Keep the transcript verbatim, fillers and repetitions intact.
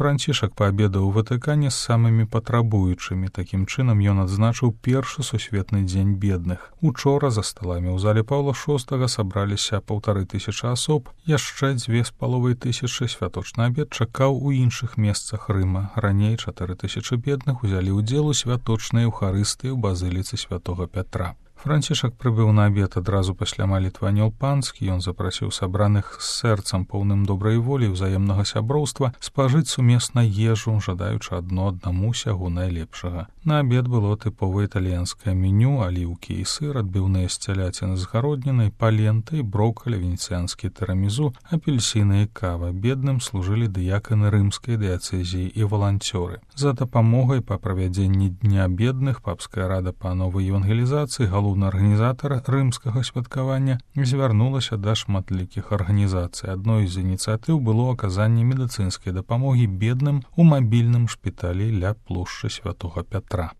Францішак паабедаў у Ватыкане з самымі патрабуючымі. Такім чынам ён адзначыў першы сусветны дзень бедных. Учора за сталамі ў зале Паўла шостага сабраліся паўтары тысячы асоб, яшчэ дзве з паловай тысячы святочны абед чакаў у іншых месцах Рыма. Раней чатыры тысячы бедных узялі ўдзел у святочнай эўхарыстыі ў базыліцы святога Пятра. Францішак прыбыў на абед адразу пасля малітвы Анёл Панскі. Ён запрасіў сабраных з сэрцам поўным добрай волі і ўзаемнага сяброўства спажыць сумесна ежу, жадаючы адно аднаму сягу найлепшага. На абед было тыповае італьянскае меню: аліўкі і сыр, адбіўныя з цяляціны з гароднінай, паленты, броккалі, венецыянскі тырамізу, апельсіны і кава. Бедным служылі дыяканы рымскай дыяцэзіі і валанцёры. За дапамогай па правядзенні дня бедных папская рада па новай евангелізацыі, галоўны арганізатар рымскага святкавання, звярнулася да шматлікіх арганізацый. Адной з ініцыятыў было аказанне медыцынскай дапамогі бедным у мабільным шпіталі ля плошчы святога Пятра.